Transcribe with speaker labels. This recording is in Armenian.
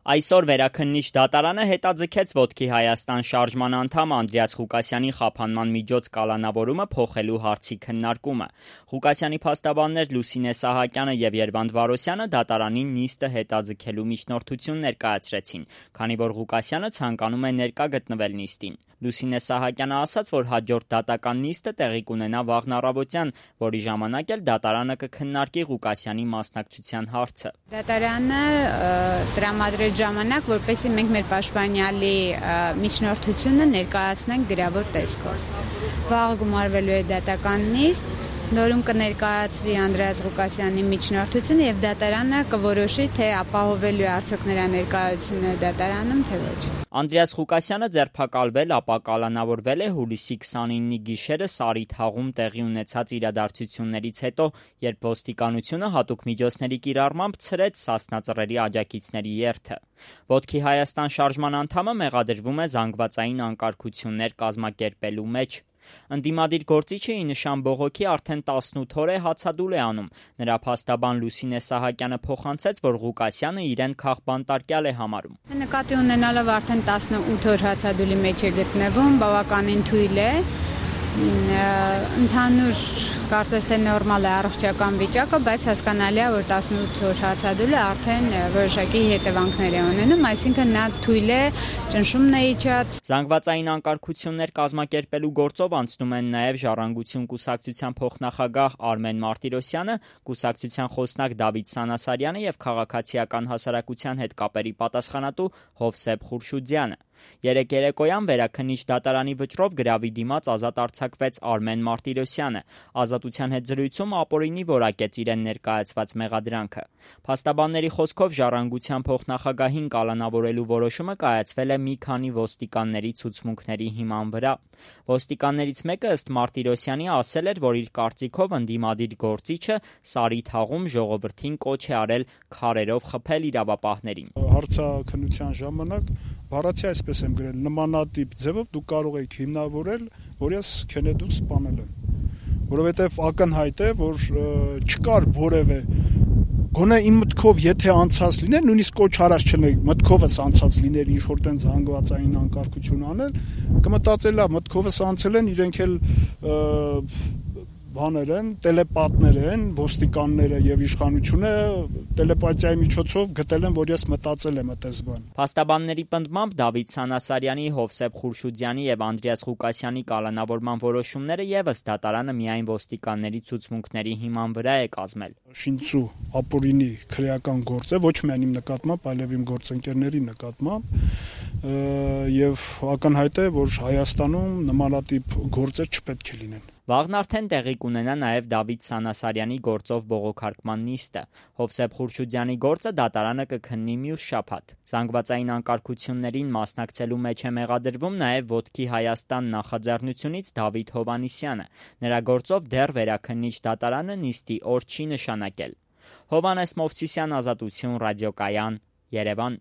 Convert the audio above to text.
Speaker 1: Այսօր վերաքննիչ դատարանը հետաձգեց Ոտքի Հայաստան շարժման անդամ Անդրեաս Ղուկասյանի խափանման միջոց կալանավորումը փոխելու հարցի քննարկումը։ Ղուկասյանի փաստաբաններ Լուսինե Սահակյանը եւ Երվանդ Վարոսյանը դատարանին նիստը հետաձգելու միջնորդություն ներկայացրեցին, քանի որ Ղուկասյանը ցանկանում է ներկա գտնվել նիստին։ Լուսինե Սահակյանը ասաց, որ հաջորդ դատական նիստը տեղի կունենա վաղն առավոտյան, որի ժամանակ էլ դատարանը կքննարկի Ղուկասյանի մասնակցության հարցը։
Speaker 2: Դատարանը տրամադրեց ժամանակ, որպեսզի մենք մեր պաշտպանյալի միջնորդությունը ներկայացնենք գրավոր տեսքով։ Վաղը գումարվելու է դատական նիստ, որում կներկայացվի Անդրեաս Ղուկասյանի միջնորդությունը եւ դատարանը կորոշի, թե ապահովելու է արդյոք նրա ներկայությունը դատարանում, թե ոչ։
Speaker 1: Անդրեաս Ղուկասյանը ձերբակալվել, ապա կալանավորվել է հուլիսի 29-ի գիշերը Սարի թաղում տեղի ունեցած իրադարձություններից հետո, երբ ոստիկանությունը հատուկ միջոցների կիրառմամբ ցրեց Սասնա Ծռերի աջակիցների երթը։ Ոտքի Հայաստան շարժման անդամը մեղադրվում է զանգվածային անկարգություններ կազմակերպելու մեջ։ Ընդդիմադիր գործիչը ի նշան բողոքի արդեն 18 օր է հացադուլ է անում։ Նրա փաստաբան Լուսինե Սահակյանը փոխանցեց, որ Ղուկասյանը իրեն քաղբանտարկյալ է համարում։
Speaker 2: Նկատի ունենալով արդեն 18 օր հացադուլի մեջ է գտնվում, բավականին թույլ է։ Ընդհանուր կարծես թե նորմալ է առողջական վիճակը, բայց հասկանալի է, որ 18 օր հացադուլը արդեն որոշակի հետևանքներ է ունենում, այսինքն նա թույլ է, ճնշումն է իջած։
Speaker 1: Զանգվածային անկարգություններ կազմակերպելու գործով անցնում են նաև Ժառանգություն կուսակցության փոխնախագահ Արմեն Մարտիրոսյանը, կուսակցության խոսնակ Դավիթ Սանասարյանը եւ քաղաքացիական հասարակության հետ կապերի պատասխանատու Հովսեփ Խուրշուդյանը։ Երեկ երեկոյան վերաքննիչ դատարանի վճռով գրավի դիմաց ազատ արձակվեց Արմեն Մարտիրոսյանը։ Ազատության հետ զրույցում ապօրինի որակեց իրեն ներկայացված մեղադրանքը։ Փաստաբանների խոսքով Ժառանգության փոխնախագահին կալանավորելու որոշումը կայացվել է մի քանի ոստիկանների ցուցմունքների հիման վրա։ Ոստիկաններից մեկը ըստ Մարտիրոսյանի ասել էր, որ իր կարծիքով ընդդիմադիր գործիչը Սարի թաղում ժողովրդին կոչ է արել քարերով խփել իրավապահներին։
Speaker 3: Հարցաքննության ժամանակ բառացի այսպես եմ գրել, նմանատիպ ձևով դուք կարող եք հիմնավորել, որ ես Քենեդուն սպանել եմ, որովհետև ակնհայտ է, որ չկար որևէ գոնե իմ մտքով եթե անցած լիներ, նույնիսկ կոչ արած չլինի, մտքովս անցած լիներ ինչ-որ տենց հանգվածային անկարգություն անել, կմտածելա մտքովս անցել են, իրենք էլ բաներ են, տելեպատներ են, ոստիկանները եւ իշխանությունը տելեպաթիայի միջոցով գտել են, որ ես մտածել եմ այդպես բան։
Speaker 1: Փաստաբանների պնդմամբ Դավիթ Սանասարյանի, Հովսեփ Խուրշուդյանի եւ Անդրեաս Ղուկասյանի կալանավորման որոշումները եւս դատարանը միայն ոստիկանների ցուցմունքների հիման վրա է կազմել։
Speaker 3: Շինծու ապօրինի քրեական գործ է, ոչ միայն իմ նկատմամբ, այլև իմ գործընկերների նկատմամբ, եւ ակնհայտ է, որ Հայաստանում նմանատիպ գործեր չպետք է լինեն։
Speaker 1: Վաղն արդեն տեղի կունենա նաև Դավիթ Սանասարյանի գործով բողոքարկման նիստը։ Հովսեփ Խուրշուդյանի գործը դատարանը կքննի մյուս շաբաթ։ Զանգվածային անկարգություններին մասնակցելու մեջ է մեղադրվում նաև Ոտքի Հայաստան նախաձեռնությունից Դավիթ Հովհաննիսյանը։ Նրա գործով դեռ վերաքննիչ դատարանը նիստի օր չի նշանակել։ Հովհաննես Մովսիսյան, Ազատություն, Ռադիոկայան, Երևան։